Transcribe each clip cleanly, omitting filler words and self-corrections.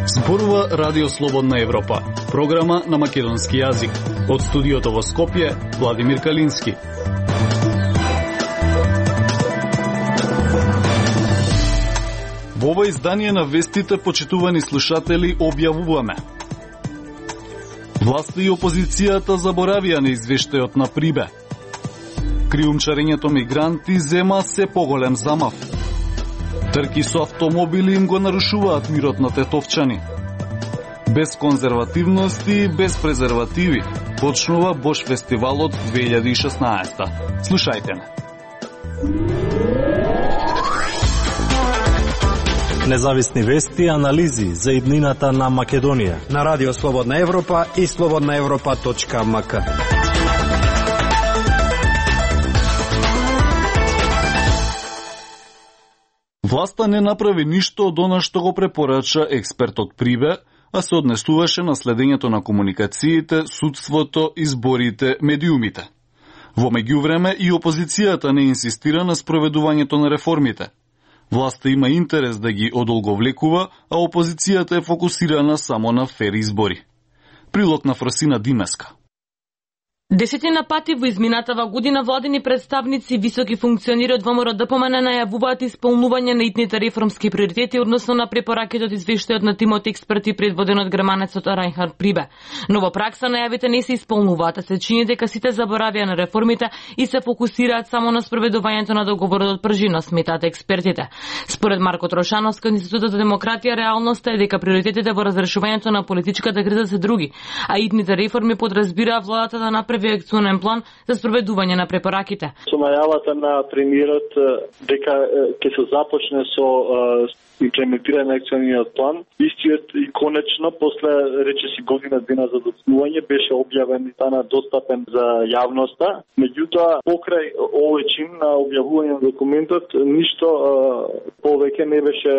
Зборува Радио Слободна Европа, програма на македонски јазик. Од студиото во Скопје, Владимир Калински. Во ова издание на вестите, почитувани слушатели, објавуваме: власта и опозицијата заборавија на извештајот на Прибе. Криумчарењето мигранти зема се поголем замав. Трки со автомобили им го нарушуваат мирот на тетовчани. Без конзервативност и без презервативи почнува Бош фестивалот 2016. Слушајте ме. Независни вести и анализи за иднината на Македонија на Радио Слободна Европа и slobodnaevropa.mk. Власта не направи ништо од она што го препорача експертот Прибе, а се однесуваше на следењето на комуникациите, судството, изборите, медиумите. Во меѓувреме и опозицијата не инсистира на спроведувањето на реформите. Власта има интерес да ги одолговлекува, а опозицијата е фокусирана само на фер избори. Прилог на Фросина Димеска. Десетина пати во изминатава година владени представници, високи функционери од ВМРО ДПМН најавуваат исполнување на итните реформски приоритети односно на препораките од извештајот на тимот експерти предводен од германецот Райнхард Прибе. Но во пракса најавите не се исполнуваат, а се чини дека сите заборавија на реформите и се фокусираат само на спроведувањето на договорот од пржина, сметаат експертите. Според Марко Трошановски од Институтот за демократија, реалноста е дека приоритетите во разрешувањето на политичката криза се други, а итните реформи подразбираа владата да направи акционен план за спроведување на препораките. Со најавата на премиерот дека ќе се започне со имплементирање на акциониот план, истиот и конечно после речиси година дена за доцнување беше објавен и стана достапен за јавноста. Меѓутоа, покрај овој чин на објавување на документот, ништо повеќе не беше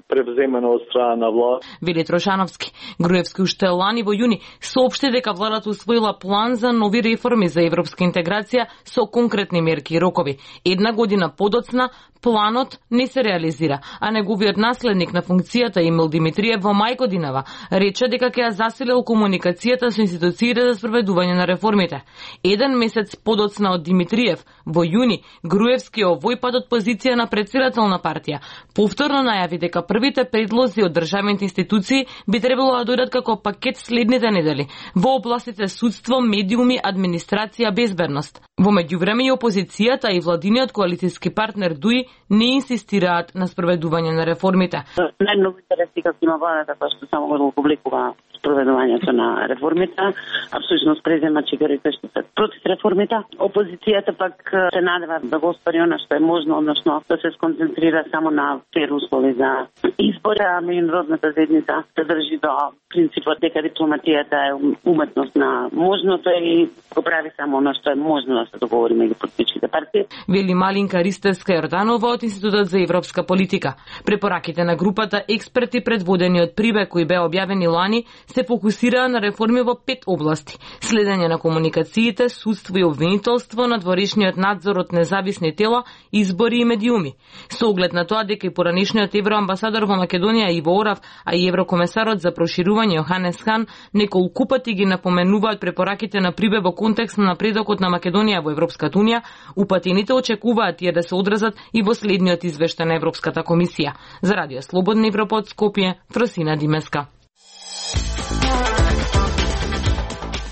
превземено од страна на власт. Вели Трошановски. Груевски уште лани во јуни соопшти дека владата усвоила план за нови реформи за европска интеграција со конкретни мерки и рокови. Една година подоцна, планот не се реализира, а неговиот наследник на функцијата Емил Димитриев во мај годинава рече дека ќе ја засилил комуникацијата со институциите за спроведување на реформите. Еден месец подоцна од Димитриев, во јуни, Груевски овој пат од позиција на претседател на партија повторно најави дека првите предлози од државните институции би требало да дојдат како пакет следните недели во областите судство, медиуми, администрација, безбедност. Во меѓувреме и опозицијата и владиниот коалицијски партнер ДУИ не инсистираат на спроведување на реформите. Најмногу интереси како има владата која што само го публикува спроведувањето на реформите, а всушност презема чигарите што се против реформите. Опозицијата пак се надева да го остари она што е можно, односно да се сконцентрира само на фер услови за избори, а меѓународната заедница се држи до принципот дека дипломатијата е уметност на можното и го прави само она што е можно да се договори меѓу политичките партии. Вели Малинка Ристевска Јорданова од Институтот за европска политика. Препораките на групата експерти предводени од Прибе кои беа објавени лани се фокусираа на реформи во 5 области: следење на комуникациите, судство и обвинителство, надворешниот надзор од независни тела, избори и медиуми. Со оглед на тоа дека и поранишниот евроамбасадор во Македонија Иво Орав, а и еврокомесарот за проширување Јоханес Хан неколку пати ги напоменуваат препораките на Прибе во контекст на напредокот на Македонија во Европската унија, упатените очекуваат тие да се одразат и во следниот извештај на Европската комисија. За Радио Слободна Европа од Скопје, Фросина Димеска.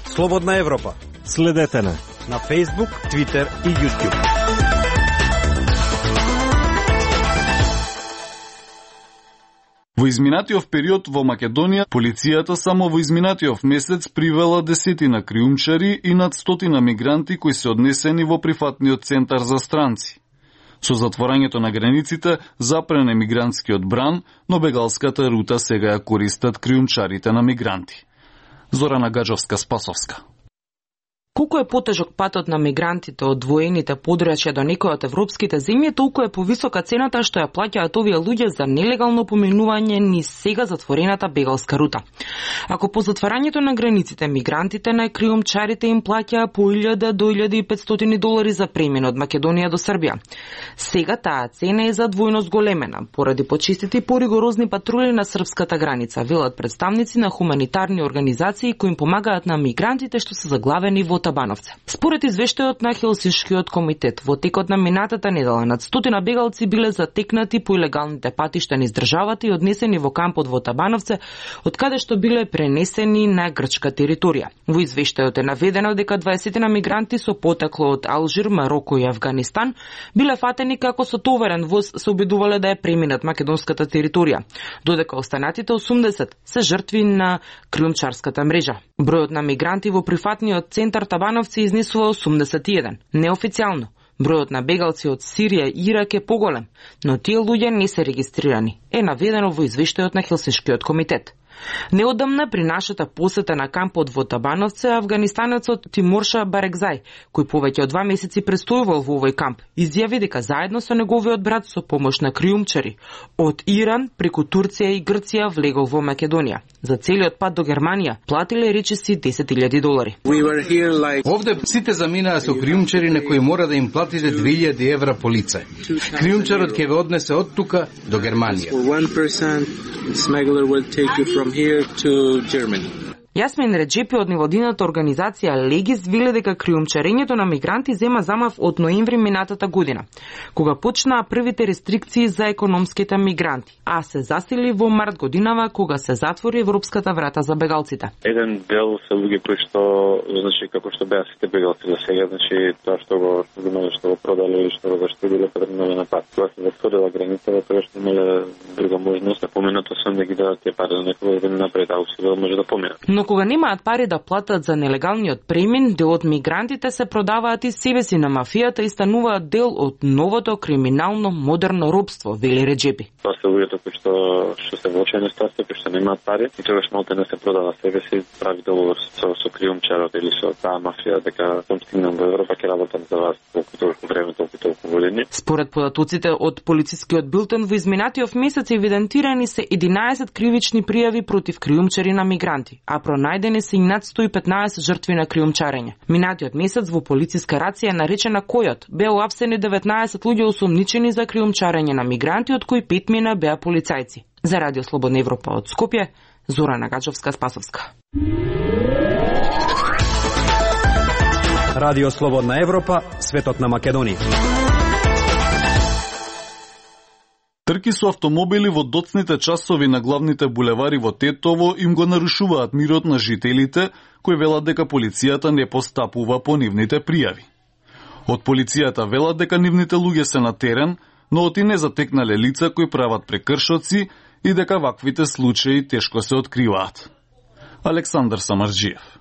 Слободна Европа. Следете на Facebook, Twitter и YouTube. Во изминатиот период во Македонија, полицијата само во изминатиот месец привела десетина криумчари и над 100 мигранти кои се однесени во прифатниот центар за странци. Со затворањето на границите запрен е мигрантскиот бран, но бегалската рута сега ја користат криумчарите на мигранти. Зорана Гаджовска-Спасовска. Колку е потежок патот на мигрантите од воените подрачја до некои од европските земји, толку е повисока цената што ја плаќаат овие луѓе за нелегално поминување низ сега затворената бегалска рута. Ако по затварањето на границите мигрантите на криумчарите им плаќаа по 1000 до 1500 долари за премин од Македонија до Србија. Сега таа цена е за двојно зголемена поради почистите и поригорозни патрули на српската граница, велат представници на хуманитарни организации кои им помагаат на мигрантите што се заглавени во Табановце. Според извештајот на Хелсиншкиот комитет, во текот на минатата недела над 100 бегалци биле затекнати по илегалните патишта низ државата и однесени во кампот во Табановце, од каде што биле пренесени на грчка територија. Во извештајот е наведено дека 20 мигранти со потекло од Алжир, Мароко и Авганистан биле фатени како со товарен воз се обидувале да ја преминат македонската територија, додека останатите 80 се жртви на криумчарската мрежа. Бројот на мигранти во прифатниот центар Табановци изнесува 81. Неофицијално, бројот на бегалци од Сирија и Ирак е поголем, но тие луѓе не се регистрирани, е наведено во извештајот на Хелсиншкиот комитет. Неодамна при нашата посета на кампот во Табановце, афганистанецот Тимурша Барекзај, кој повеќе од 2 месеци престојувал во овој камп, изјави дека заедно со неговиот брат со помош на криумчари од Иран преку Турција и Грција влегол во Македонија. За целиот пат до Германија платиле речиси 10.000 долари. Овде сите заминаа со криумчари на кои мора да им платите 2000 евра по лице. Криумчарот ќе ве однесе од тука до Германија. Јасмин Реджепи од невладината организација Легис веле дека криумчарењето на мигранти зема замав од ноември минатата година, кога почнаа првите рестрикции за економските мигранти, а се засили во март годинава кога се затвори европската врата за бегалците. Еден дел се луѓе кои што, значи како што беа сите бегалци за сега, значи тоа што го продале или што го заштедиле потребно на пат. Кога се затворила границата, тоа што имале друга можност, поминато сум да ги дадат тие пари на некој година напред, а усилено може да поминат. Но кога немаат пари да платат за нелегалниот премин, дел од мигрантите се продаваат и себе си на мафијата и стануваат дел од новото криминално модерно робство, вели Реджепи. Тоа се луѓето кои што се влачени ситуација, кои што немаат пари, и тогаш малку не се продава себе си, прави договор со криумчарот или со таа мафија дека сум стигнам во Европа, ќе работам за вас толку време, толку години. Според податоците од полицискиот билтен во изминатиот месец евидентирани се 11 кривични пријави против криумчари на мигранти, а пронајдени се и над 115 жртви на криумчарење. Минатиот месец во полициска рација наречена Којот беа уапсени 19 луѓе осумничени за криумчарење на мигранти, од кои 5 мина беа полицајци. За Радио Слободна Европа од Скопје, Зорана Гачовска-Спасовска. Радио Слободна Европа, светот на Македонија. Трки со автомобили во доцните часови на главните булевари во Тетово им го нарушуваат мирот на жителите, кои велат дека полицијата не постапува по нивните пријави. Од полицијата велат дека нивните луѓе се на терен, но оти не затекнале лица кои прават прекршоци и дека ваквите случаи тешко се откриваат. Александар Самарџиев.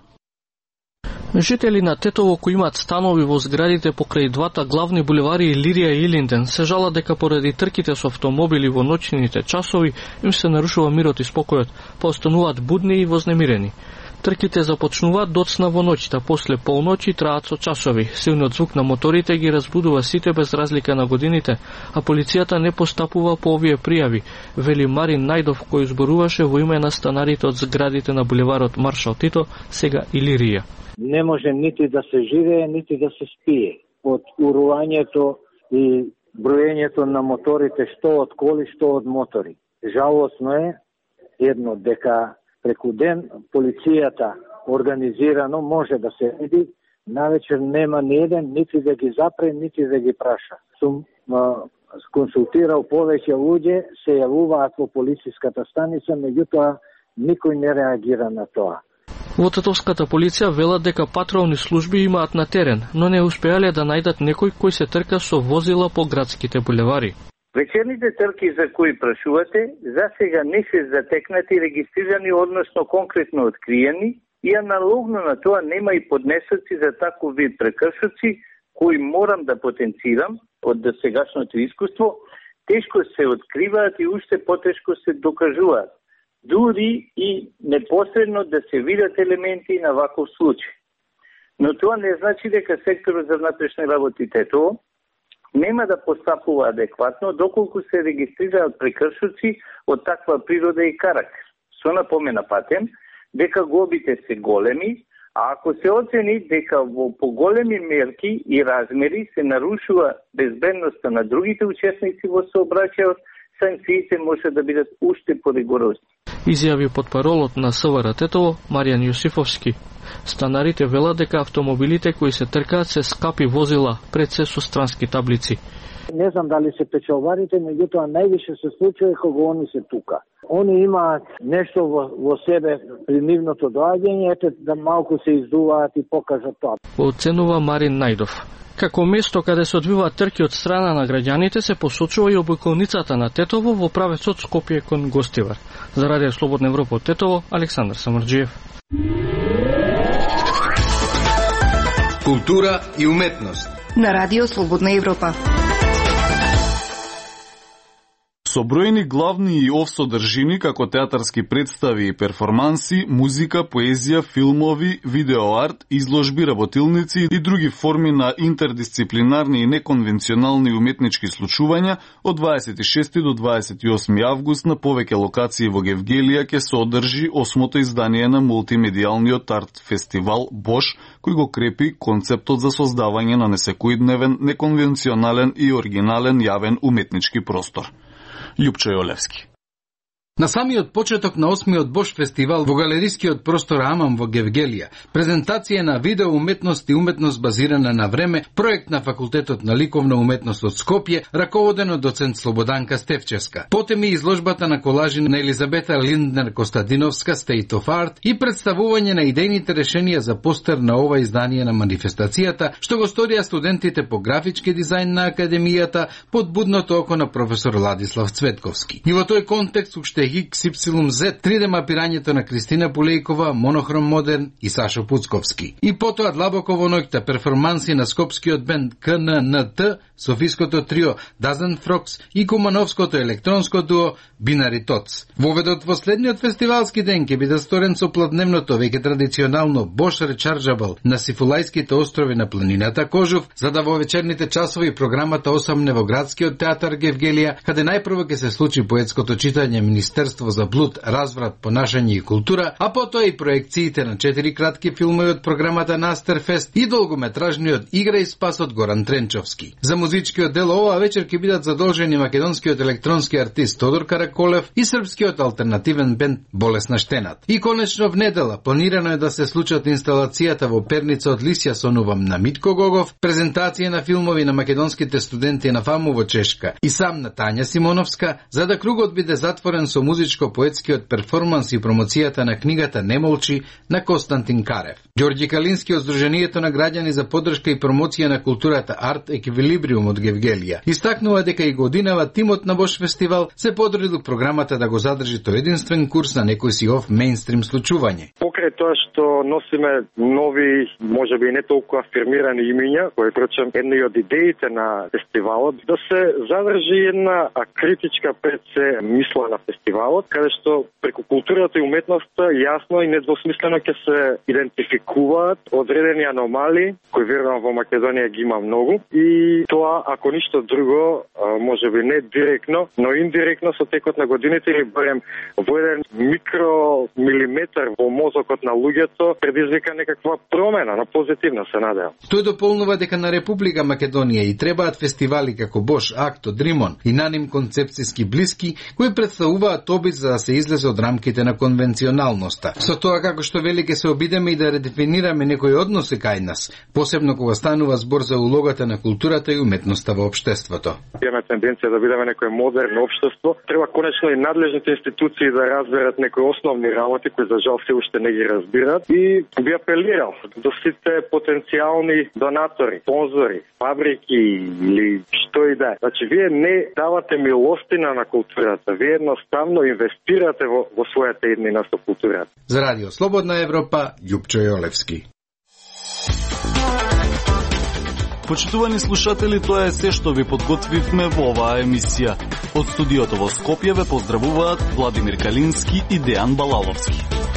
Жители на Тетово кои имаат станови во зградите покрај двата главни булевари Илирија и Илинден се жалат дека поради трките со автомобили во ноќните часови им се нарушува мирот и спокојот, постануваат будни и вознемирени. Трките започнуваат доцна во ноќта, после полноќи траат со часови. Силниот звук на моторите ги разбудува сите без разлика на годините, а полицијата не постапува по овие пријави, вели Марин Најдов кој зборуваше во име на станарите од зградите на булеварот Маршал Тито, сега Илирија. Не може нити да се живее, нити да се спие. Од урувањето и броењето на моторите, што од коли, што од мотори. Жалосно е едно дека преку ден полицијата организирано може да се види, навечер нема ни еден, нити да ги запре, нити да ги праша. Сум консултирал повеќе луѓе, се јавуваат во полициската станица, меѓутоа никој не реагира на тоа. Во Тетовската полиција велат дека патролни служби имаат на терен, но не успеале да најдат некој кој се трка со возила по градските булевари. Вечерните трки за кои прашувате, за сега не се затекнати, регистрирани, односно конкретно откриени, и аналогно на тоа нема и поднесоци за таков вид прекршоци, кои морам да потенцирам од досегашното искуство, тешко се откриваат и уште потешко се докажуваат, дури и непосредно да се видат елементи на ваков случај. Но тоа не значи дека секторот за внатрешни работи Тетово нема да постапува адекватно доколку се регистрираат прекршоци од таква природа и карактер. Со напомена патем дека глобите се големи, а ако се оцени дека во поголеми мерки и размери се нарушува безбедноста на другите учесници во сообраќајот, санкциите може да бидат уште поригорозни. Изјави потпаролот на СВР Тетово Маријан Јосифовски. Станарите велат дека автомобилите кои се тркаат се скапи возила, пред се со странски таблици. Не знам дали се печалбарите, меѓутоа највише се случува кога они се тука. Они имаат нешто во себе при нивното доаѓање, ете да малку се издуваат и покажат тоа. Оценува Марин Најдов. Како место каде се одвиваат трки од страна на граѓаните се посочува и обиколницата на Тетово во правецот Скопје кон Гостивар. За Радио Слободна Европа од Тетово, Александар Самарџиев. Култура и уметност на Радио Слободна Европа. Со бројни главни и офсодржини како театарски представи и перформанси, музика, поезија, филмови, видеоарт, изложби, работилници и други форми на интердисциплинарни и неконвенционални уметнички случувања од 26 до 28 август на повеќе локации во Гевгелија ќе се одржи 8-то издание на мултимедијалниот арт фестивал Бош, кој го крепи концептот за создавање на несекојдневен, неконвенционален и оригинален јавен уметнички простор. Љупчо Јолевски. На самиот почеток на 8-миот Бош фестивал во галерискиот простор Амам во Гевгелија, презентација на видео уметност и уметност базирана на време, проект на Факултетот на ликовна уметност од Скопје, раководен од доцент Слободанка Стефчевска. Потем и изложбата на колажи на Елизабета Линднер Костадиновска State of Art и представување на идејните решенија за постер на ова издание на манифестацијата, што го сторија студентите по графички дизајн на Академијата под будното око на професор Ладислав Цветковски. И во тој контекст уште XYZ 3D мапирањето на Кристина Пулејкова, Монохром Модерн и Сашо Пуцковски. И потоа длабоко во ноќта перформанси на скопскиот бенд КННТ, софиското трио Dozen Frogs и кумановското електронско дуо Binary Tots. Воведот во следниот фестивалски ден ќе биде сторен со плодневното веќе традиционално Bosch Rechargeable на Сифулајските острови на планината Кожув, за да во вечерните часови програмата осамне во градскиот театар Гевгелија, каде најпрво ќе се случи поетското читање Министерство за блуд, разврат, понашање и култура, а потоа и проекциите на 4 кратки филмови од програмата Настерфест и долгометражниот Игра и спас од Горан Тренчовски. За музичкиот дел оваа вечер ќе бидат задолжени македонскиот електронски артист Тодор Караколев и српскиот алтернативен бенд Болесна Штенат. И конечно в недела планирано е да се случат инсталацијата во Перница од Лисја Сонувам на Митко Гогов, презентација на филмови на македонските студенти на ФАМУ во Чешка и сам на Тања Симоновска, за да кругот биде затворен со музичко-поетскиот перформанс и промоцијата на книгата Немолчи на Константин Карев. Ѓорѓи Калински од Сдруженијето на граѓани за поддршка и промоција на културата Арт Еквилибриум од Гевгелија истакнува дека и годинава тимот на Бош фестивал се подрудил програмата да го задржи тој единствен курс на некој си оф мејнстрим случување. Покрај тоа што носиме нови, можеби не толку афирмирани имиња, кои прочем една од идеите на фестивалот, да се задржи една критичка пред се мисла на фестивалот, каде што преку културата и уметноста јасно и недвосмислено ќе се идентификуваат одредени аномалии, кои верувам во Македонија ги има многу, и тоа, ако ништо друго, можеби не директно, но индиректно со текот на годините или барем во еден микромилиметар во мозокот на луѓето предизвика некаква промена, на позитивна се надевам. Тој дополнува дека на Република Македонија и требаат фестивали како Бош, Акто, Дримон и на ним концепцијски блиски, кои представуваат обид за да се излезе од рамките на конвенционалноста. Со тоа како што вели ќе се обидеме и да редефинираме некои односи кај нас, посебно кога станува збор за улогата на културата и уметноста во општеството. Имаме тенденција да бидеме некое модерно општество. Треба конечно и надлежните институции да разберат некои основни работи кои за жал се уште не ги разбираат, и би апелирал до сите потенцијални донатори, спонзори, фабрики или што и да е. Значи вие не давате милостина на културата, вие едноставно инвестирате во својата еднина со културата. За Радио Слободна Европа, Љупчо Јолевски. Почитувани слушатели, тоа е се што ви подготвивме во оваа емисија. Од студиото во Скопје ве поздравуваат Владимир Калински и Дејан Балаловски.